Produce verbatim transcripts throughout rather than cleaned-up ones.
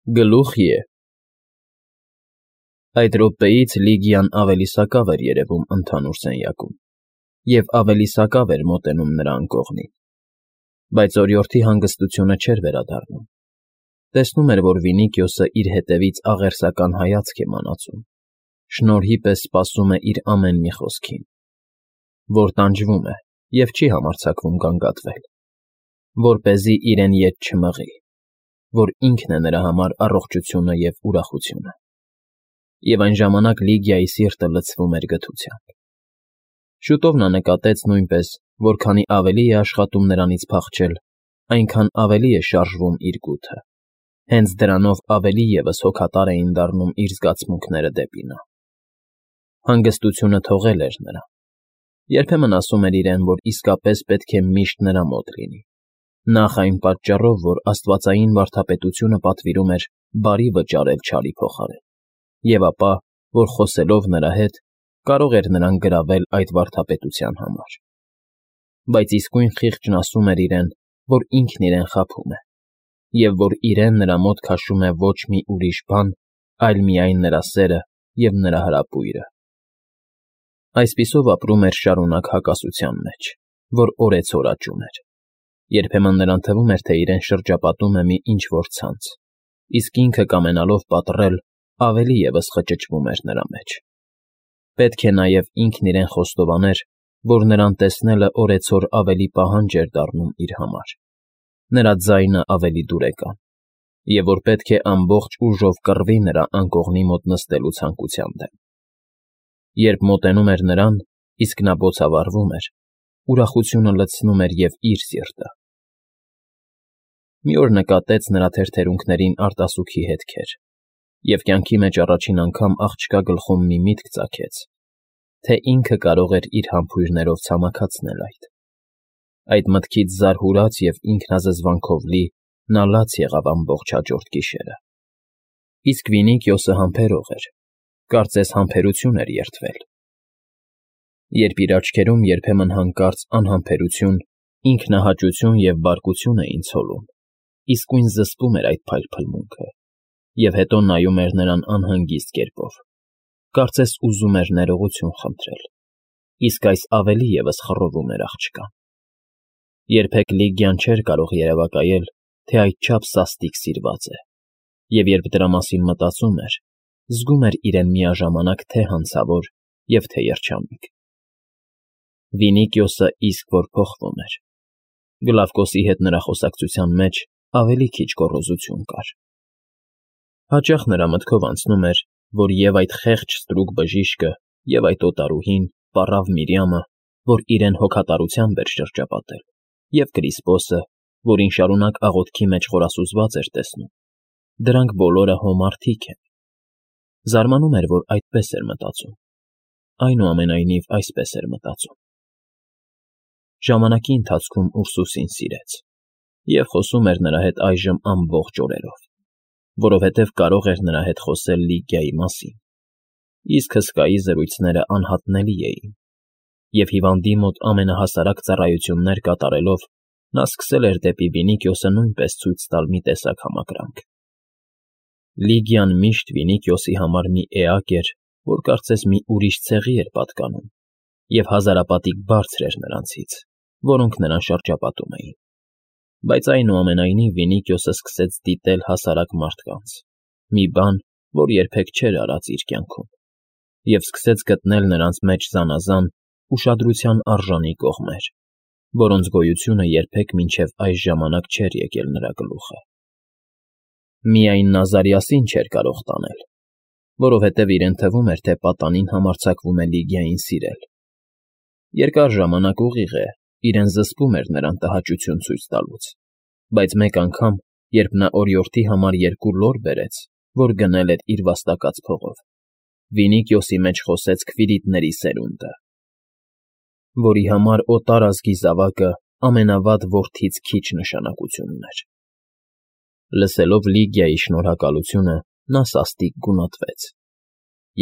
Գլուխ Ե Այդ րոպեից Լիգիան ավելի սակավ էր երևում ընդհանուր սենյակում և ավելի սակավ էր մոտենում նրա անկողնին, բայց օրիորդի հանգստությունը չէր վերադառնում. տեսնում էր, որ Վինիքիոսը իր հետևից աղերսական հայացք է մանածում, շնորհի պես սպասում է իր ամեն մի խոսքին, որ տանջվում է և չի համարձակվում գանգատվել, որպեսզի իրեն ետ չմղի, որ ինքն է նրա համար առողջությունը և ուրախությունը, և այն ժամանակ Լիգիայի սիրտը լցվում էր գթությամբ։ Շուտով նա նկատեց նույնպես, որ քանի ավելի է աշխատում նրանից փախչել, այնքան ավելի է շարժվում իր գութը, հենց դրանով ավելի ևս հոգատար էին դառնում իր զգացմունքները դեպի նա։ Հանգստությունը թողել էր նրան, երբեմն ասում էր իրեն, որ իսկապես պետք է միշտ նրա մոտ լինի, նախ այն պատճառով, որ աստվածային վարդապետությունը պատվիրում էր բարի վճարել չարի փոխարեն, և ապա, որ խոսելով նրա հետ, կարող էր նրան գրավել այդ վարդապետության համար։ Բայց իսկույն խիղճն ասում էր իրեն, որ ինքն իրեն խաբում է, և որ իրեն նրա մոտ քաշում է ոչ մի ուրիշ բան, այլ միայն նրա սերը և նրա հրապույրը։ Այսպիսով ապրում էր շարունակ հակասության մեջ, որ օրեցօր աճում էր։ Երբեմն նրան թվում էր, թե իրեն շրջապատում է մի ինչ֊որ ցանց, իսկ ինքը կամենալով պատռել, ավելի ևս խճճվում էր նրա մեջ։ Պետք է նաև ինքն իրեն խոստովաներ, որ նրան տեսնելը օրեցօր ավելի պահանջ էր դառնում իր համար, նրա ձայնը ավելի դուրեկան, և որ պետք է ամբողջ ուժով կռվի նրա անկողնի մոտ նստելու ցանկության դեմ։ Երբ մոտենում էր նրան, իսկ նա բոցավառվում էր, ուրախությունը լցնում էր և իր սիրտը։ Մի օր նկատեց նրա թերթերունքներին արտասուքի հետքեր, և կյանքի մեջ առաջին անգամ աղջկա գլխում մի միտք ծագեց, թե ինքը կարող էր իր համբույրներով ցամաքացնել այդ։ Այդ մտքից զարհուրած և ինքնազզվանքով լի նա լաց եղավ ամբողջ հաջորդ գիշերը։ Իսկ Վինիքիոսը համբերող էր, կարծես համբերություն էր երդվել։ Երբ իր աչքերում երբեմն հանկարծ անհամբերություն, ինքնահաճություն և բարկություն էին ցոլում, իսկույն զսպում էր այդ փայլփլմունքը, և հետո նայում էր նրան անհանգիստ կերպով, կարծես ուզում էր ներողություն խնդրել, իսկ այս ավելի ևս խռովում էր աղջկան։ Երբեք Լիգիան չէր կարող երևակայել, թե այդչափ սաստիկ սիրված է, և երբ դրա մասին մտածում էր, զգում էր իրեն միաժամանակ թե հանցավոր և թե երջանիկ։ Վինիքիոսը իսկ որ փոխվում էր։ Գլավկոսի հետ նրա խոսակցության մեջ ավելի քիչ գոռոզություն կար։ Հաճախ նրա մտքով անցնում էր, որ և այդ խեղճ ստրուկ բժիշկը, և այդ օտարուհին, պառավ Միրիամը, որ իրեն հոգատարությամբ էր շրջապատել, և Կրիսպոսը, որին շարունակ աղոթքի մեջ խորասուզված էր տեսնում, դրանք բոլորը հո մարդիկ են։ Զարմանում էր, որ այդպես էր մտածում, այնուամենայնիվ այսպես էր մտածում։ Ժամանակի ընթացքում Ուրսուսին սիրեց և խոսում էր նրա հետ այժմ ամբողջ օրերով, որովհետև կարող էր նրա հետ խոսել Լիգիայի մասին, իսկ հսկայի զրույցները անհատնելի էին, և հիվանդի մոտ ամենահասարակ ծառայություններ կատարելով նա սկսել էր դեպի Վինիքիոսը նույնպես ցույց տալ մի տեսակ համակրանք։ Լիգիան միշտ Վինիքիոսի համար մի էակ էր, որ կարծես մի ուրիշ ցեղի էր պատկանում, և հազարապատիկ բարձր էր նրանցից, որոնք նրան շրջապատում էին, բայց այնուամենայնիվ Վինիքիոսը սկսեց դիտել հասարակ մարդկանց, մի բան, որ երբեք չէր արած իր կյանքում, և սկսեց գտնել նրանց մեջ զանազան, ուշադրության արժանի կողմեր, որոնց գոյությունը երբեք մինչև այս ժամանակ չէր եկել նրա գլուխը։ Միայն Նազարիասին չէր կարող տանել, որովհետև իրեն թվում էր, թե պատանին համարձակվում է Լիգիային սիրել։ Երկար ժամանակ ուղիղ է, իրեն զսպում էր նրան տհաճություն ցույց տալուց, բայց մեկ անգամ, երբ նա օրիորդի համար երկու լոր բերեց, որ գնել էր իր վաստակած փողով, Վինիքիոսի մեջ խոսեց Քվիրիտների սերունդը, որի համար օտար ազգի զավակը ամենավատ որդից քիչ նշանակություն ուներ։ Լսելով Լիգիայի շնորհակալությունը, նա սաստիկ գունատվեց,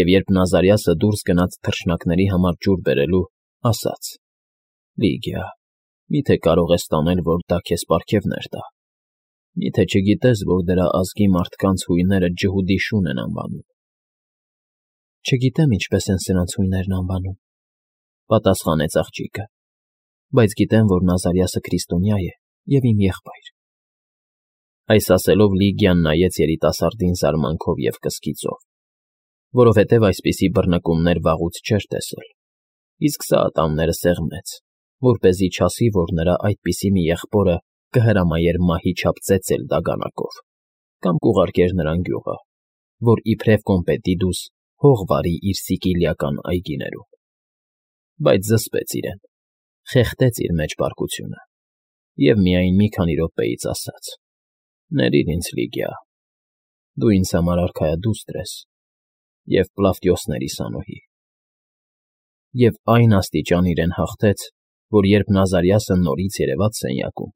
և երբ Նազարիասը դուրս գնաց թռչնակների համար ջուր բերելու, ասաց. «Լիգիա, մի՞թե կարող ես տանել, որ դա քեզ պարգևներ տա»։ Մի՞թե չգիտես, որ դրա ազգի մարդկանց հույները ջհուդի շուն են անվանում։ ֊ Չգիտեմ ինչպես են սրանց հույներն անվանում,֊ պատասխանեց աղջիկը,֊ բայց գիտեմ, որ Նազարյասը քրիստոնյա է և իմ եղբայր… Այս ասելով Լիգիան նայեց երիտասարդին զարմանքով և կսկիծով, որովհետև այսպիսի բռնկումներ վաղուց չէր տեսել, իսկ սա ատամները սեղմեց, որպեսզի չասի, որ նրա այդպիսի մի եղբորը կհրամայեր մահի չափ ծեծել դագանակով կամ կուղարկեր նրան գյուղը, որ իբրև կոմպետիդուս հող վարի իր սիցիլիական այգիներում… Բայց զսպեց իրեն, խեղդեց իր մեջ պարկությունը և միայն մի քանի րոպեից ասաց. «Ներիր ինձ, Լիգիա, դու ինձ համար արքայադուստր ես և Պլավտիոսների սանուհի…» Եվ այն աստիճան իրեն հաղթեց, որ երբ Նազարյասը նորից երևաց սենյակում,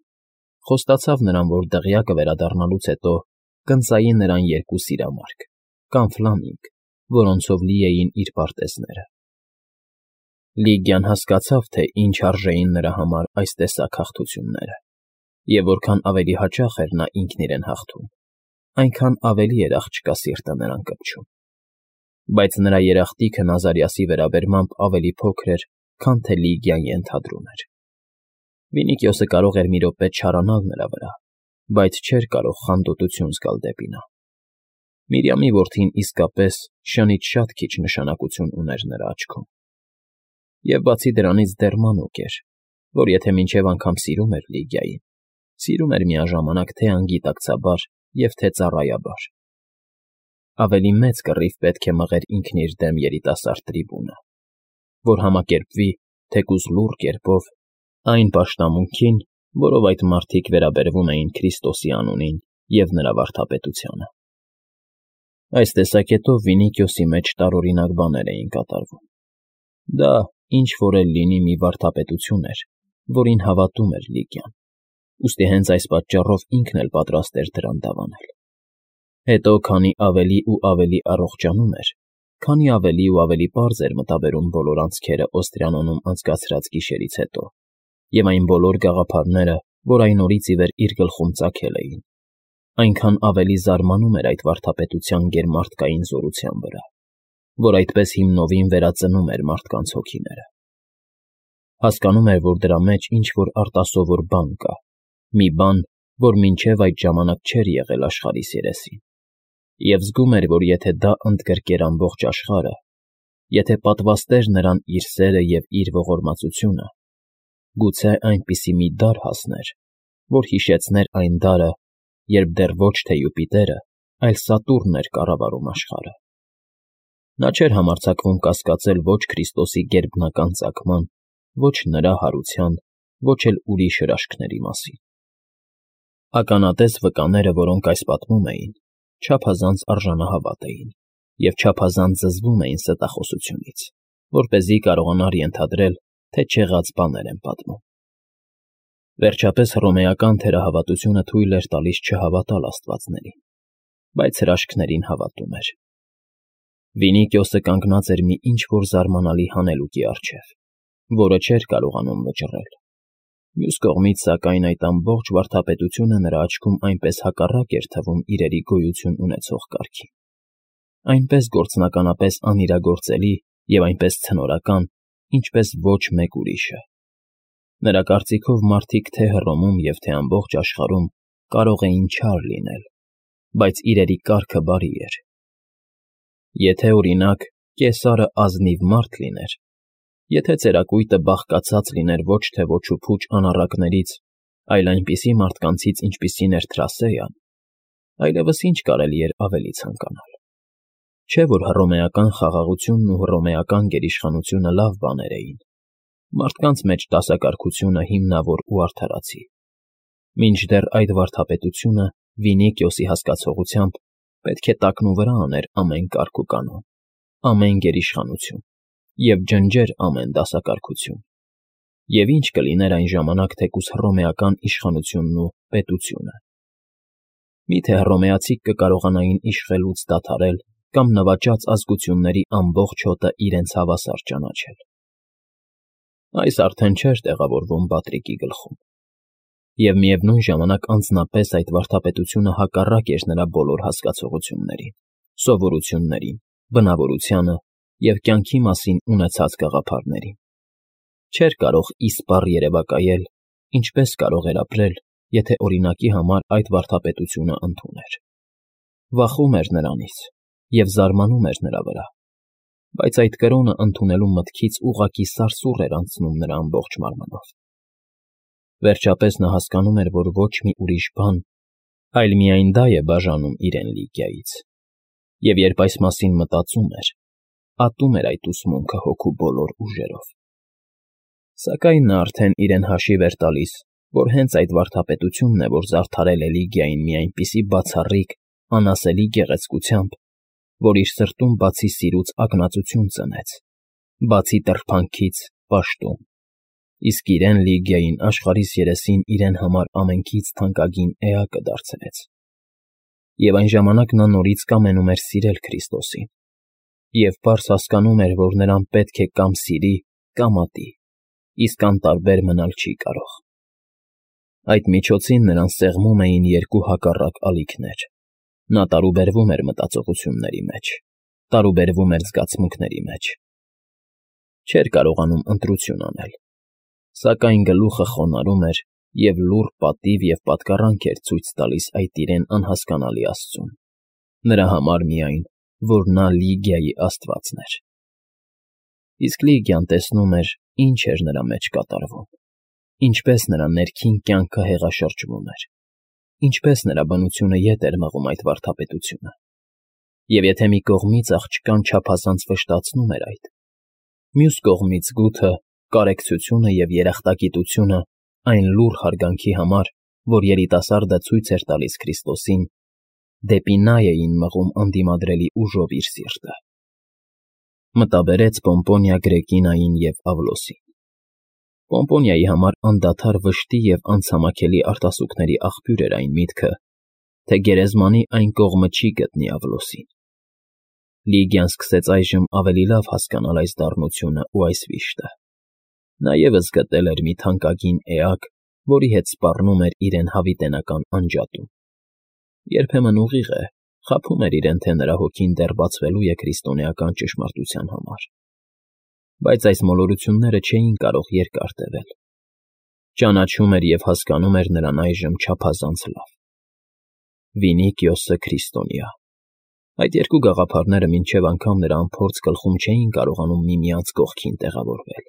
խոստացավ նրան, որ դղյակը վերադառնալուց հետո կընծայի նրան երկու սիրամարգ կամ ֆլամինգ, որոնցով լի էին իր պարտեզները… Լիգիան հասկացավ, թե ինչ արժեին նրա համար այս տեսակ հաղթությունները, և որքան ավելի հաճախ էր նա ինքն իրեն հաղթում, այնքան ավելի էր աղջկա սիրտը նրան կպչում… Բայց նրա երախտիկը Նազարյասի վերաբերմամբ ավելի փոքր էր, քան թե Լիգիան ենթադրում էր… Վինիքիոսը կարող էր մի րոպե չարանալ նրա վրա, բայց չէր կարող խանդոտություն զգալ դեպի նա… Միրիամի որդին իսկապես շնից շատ քիչ նշանակություն ուներ նրա աչքում… Եվ բացի դրանից դեռ մանուկ էր, որ եթե մինչև անգամ սիրում էր Լիգիային, սիրում էր միաժամանակ թե՛ անգիտակցաբար և թե՛ ծառայաբար… Ավելի մեծ կռիվ պետք է մղեր ինքն իր դեմ երիտասարդ տրիբունը, որ համակերպվի, թեկուզ լուռ կերպով, այն պաշտամունքին, որով այդ մարդիկ վերաբերվում էին Քրիստոսի անունին և նրա վարդապետությանը… Այս տեսակետով Վինիքիոսի մեջ տարօրինակ բաներ էին կատարվում… Դա, ինչ֊որ էլ լինի, մի վարդապետություն էր, որին հավատում էր Լիգիան, ուստի հենց այս պատճառով ինքն էլ պատրաստ էր դրան դավանել… Հետո քանի ավելի ու ավելի առողջանում էր, քանի ավելի ու ավելի պարզ էր մտաբերում բոլոր անցքերը Օստրիանոնում անցկացրած գիշերից հետո և այն բոլոր գաղափարները, որ այն օրից ի վեր իր գլխում ծագել էին, այնքան ավելի զարմանում էր այդ վարդապետության գերմարդկային զորության վրա, որ այդպես հիմնովին վերածնում էր մարդկանց հոգիները… Հասկանում էր, որ դրա մեջ ինչ֊որ արտասովոր բան կա, մի բան, որ մինչև այդ ժամանակ չէր եղել աշխարհիս երեսին, և զգում էր, որ եթե դա ընդգրկեր ամբողջ աշխարհը, եթե պատվաստեր նրան իր սերը և իր ողորմածությունը, գուցե այնպիսի մի դար հասներ, որ հիշեցներ այն դարը, երբ դեռ ոչ թե Յուպիտերը, այլ Սատուրնն էր կառավարում աշխարհը… Նա չէր համարձակվում կասկածել ոչ Քրիստոսի գերբնական ծագման, ոչ նրա հարության, ոչ էլ ուրիշ հրաշքների մասին… Ականատես վկաները, որոնք այս պատմում էին, չափազանց արժանահավատ էին և չափազանց զզվում էին ստախոսությունից, որպեսզի կարողանար ենթադրել, թե չեղած բաներ են պատմում… Վերջապես հռոմեական թերահավատությունը թույլ էր տալիս չհավատալ աստվածներին, բայց հրաշքներին հավատում էր… Վինիքիոսը կանգնած էր մի ինչ֊որ զարմանալի հանելուկի առջև, որը չէր կարողանում վճռել… Մյուս կողմից, սակայն, այդ ամբողջ վարդապետությունը նրա աչքում այնպես հակառակ էր թվում իրերի գոյություն ունեցող կարգին, այնպես գործնականապես անիրագործելի և այնպես ցնորական, ինչպես ոչ մեկ ուրիշը… Նրա կարծիքով մարդիկ թե՛ Հռոմում և թե՛ ամբողջ աշխարհում կարող էին չար լինել, բայց իրերի կարգը բարի էր… Եթե, օրինակ, Կեսարը ազնիվ մարդ լիներ, եթե ծերակույտը բաղկացած լիներ ոչ թե ոչ ու փուչ անառակներից, այլ այնպիսի մարդկանցից, ինչպիսին էր Թրասեան, այլևս ինչ կարելի էր ավելի ցանկանալ… Չէ՞ որ հռոմեական խաղաղությունն ու հռոմեական գերիշխանությունը լավ բաներ էին, մարդկանց մեջ դասակարգությունը հիմնավոր ու արդարացի… Մինչդեռ այդ վարդապետությունը Վինիքիոսի հասկացողությամբ պետք է տակնուվրա աներ ամեն կարգ ու կանոն, ամեն գերիշխանություն և ջնջեր ամեն դասակարգություն… Եվ ի՞նչ կլիներ այն ժամանակ թեկուզ հռոմեական իշխանությունն ու պետությունը… Մի՞թե հռոմեացիք կկարողանային իշխելուց դադարել կամ նվաճած ազգությունների ամբողջ հոտը իրենց հավասար ճանաչել… Այս արդեն չէր տեղավորվում Պատրիկի գլխում… Եվ միևնույն ժամանակ անձնապես այդ վարդապետությունը հակառակ էր նրա բոլոր հասկացողություններին, սովորություններին, բնավորությանը և կյանքի մասին ունեցած գաղափարներին։ Չէր կարող իսպառ երևակայել, ինչպես կարող էր ապրել, եթե օրինակի համար այդ վարդապետությունը ընդուներ։ Վախում էր նրանից և զարմանում էր նրա վրա, բայց այդ կրոնը ընդունելու մտքից ուղղակի սարսուռ էր անցնում նրա ամբողջ մարմնով։ Վերջապես նա հասկանում էր, որ ոչ մի ուրիշ բան, այլ միայն դա է բաժանում իրեն Լիգիայից, և երբ այս մասին մտածում էր, ատում էր այդ ուսմունքը հոգու բոլոր ուժերով։ Սակայն նա արդեն իրեն հաշիվ էր տալիս, որ հենց այդ վարդապետությունն է, որ զարդարել է Լիգիային մի այնպիսի բացառիկ, անասելի գեղեցկությամբ, որ իր սրտում բացի սիրուց ակնածություն ծնեց, բացի տրփանքից՝ պաշտում, իսկ իրեն Լիգիային աշխարհիս երեսին իրեն համար ամենքից թանկագին էակը դարձրեց։ Եվ այն ժամանակ նա նորից կամենում էր սիրել Քրիստոսին և պարզ հասկանում էր, որ նրան պետք է կամ սիրի, կամ ատի, իսկ անտարբեր մնալ չի կարող։ Այդ միջոցին նրան սեղմում էին երկու հակառակ ալիքներ. նա տարուբերվում էր մտածողությունների մեջ, տարուբերվում էր զգացմունքների մեջ։ Չէր կարողանում ընտրություն անել, սակայն գլուխը խոնարհում էր և լուռ պատիվ և պատկառանք էր ցույց տալիս այդ իրեն անհասկանալի աստծուն, նրա համար միայն, որ նա Լիգիայի աստվածն էր։ Իսկ Լիգիան տեսնում էր, ինչ էր նրա մեջ կատարվում, ինչպես նրա ներքին կյանքը հեղաշրջվում էր, ինչպես նրա բնությունը ետ էր մղում այդ վարդապետությունը։ Եվ եթե մի կողմից աղջկան չափազանց վշտացնում էր այդ, մյուս կողմից գութը, կարեկցությունը և երախտագիտությունը այն լուռ հարգանքի համար, որ երիտասարդը ցույց էր տալիս Քրիստոսին, դեպի նա էին մղում անդիմադրելի ուժով իր սիրտը։ Մտաբերեց Պոմպոնիա Գրեկինային և Ավլոսին։ Պոմպոնիայի համար անդադար վշտի և անցամաքելի արտասուքների աղբյուր էր այն միտքը, թե գերեզմանի այն կողմը չի գտնի Ավլոսին։ Լիգիան սկսեց այժմ ավելի լավ հասկանալ այս դառնությունն ու այս վիշտը։ Նա ևս գտել էր մի թանկագին էակ, որի հետ սպառնում էր իրեն հավիտենական անջատում։ Երբեմն ուղիղ է, խաբում էր իրեն, թե նրա հոգին դեռ բացվելու է քրիստոնեական ճշմարտության համար։ Բայց այս մոլորությունները չէին կարող երկար տևել։ Ճանաչում էր և հասկանում էր նրան այժմ չափազանց լավ։ Վինիկիոսը քրիստոնյա։ Այդ երկու գաղափարները մինչև անգամ նրա անփորձ գլխում չէին կարողանում միմյանց կողքին տեղավորվել։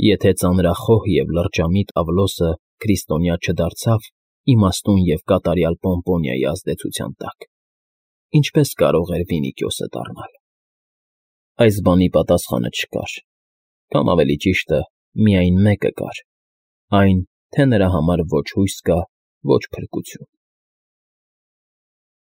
Եթե ծանրախոհ և լրջամիտ Ավլոսը քրիստոնյա չդարձավ իմաստուն և կատարյալ Պոմպոնիայի ազդեցության տակ, ինչպե՞ս կարող էր Վինիկիոսը դառնալ։ Այս բանի պատասխանը չկար, կամ ավելի ճիշտը, միայն մեկը կար, այն, թե նրա համար ոչ հույս կա, ոչ փրկություն։